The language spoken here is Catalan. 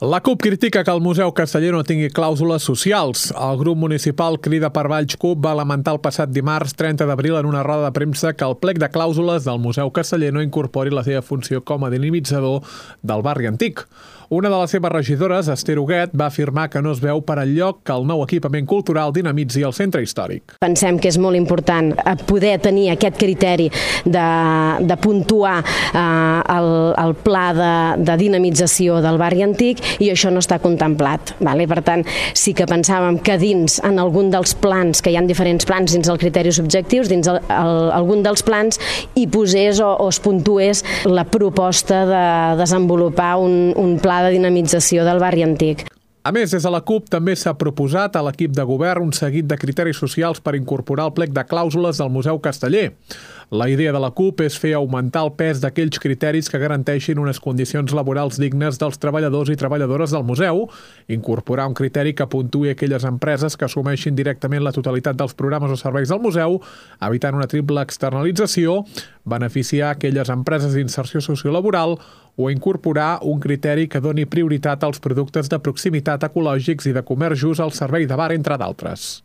La CUP critica que el Museu Casteller no tingui clàusules socials. El grup municipal Crida per Valls CUP va lamentar el passat dimarts 30 d'abril en una roda de premsa que el plec de clàusules del Museu Casteller no incorpori la seva funció com a dinamitzador del barri antic. Una de les seves regidores, Esther Huguet, va afirmar que no es veu per enlloc que el nou equipament cultural dinamitzi el centre històric. Pensem que és molt important poder tenir aquest criteri de puntuar el pla de dinamització del barri antic i això no està contemplat. Per tant, sí que pensàvem que dins, en algun dels plans, que hi ha diferents plans dins els criteris objectius, dins algun dels plans hi posés o es puntués la proposta de desenvolupar un pla de dinamització del barri antic. A més, des de la CUP també s'ha proposat a l'equip de govern un seguit de criteris socials per incorporar el plec de clàusules del Museu Casteller. La idea de la CUP és fer augmentar el pes d'aquells criteris que garanteixin unes condicions laborals dignes dels treballadors i treballadores del museu, incorporar un criteri que puntuï aquelles empreses que assumeixin directament la totalitat dels programes o serveis del museu, evitant una triple externalització, beneficiar aquelles empreses d'inserció sociolaboral o incorporar un criteri que doni prioritat als productes de proximitat ecològics i de comerç just al servei de bar, entre d'altres.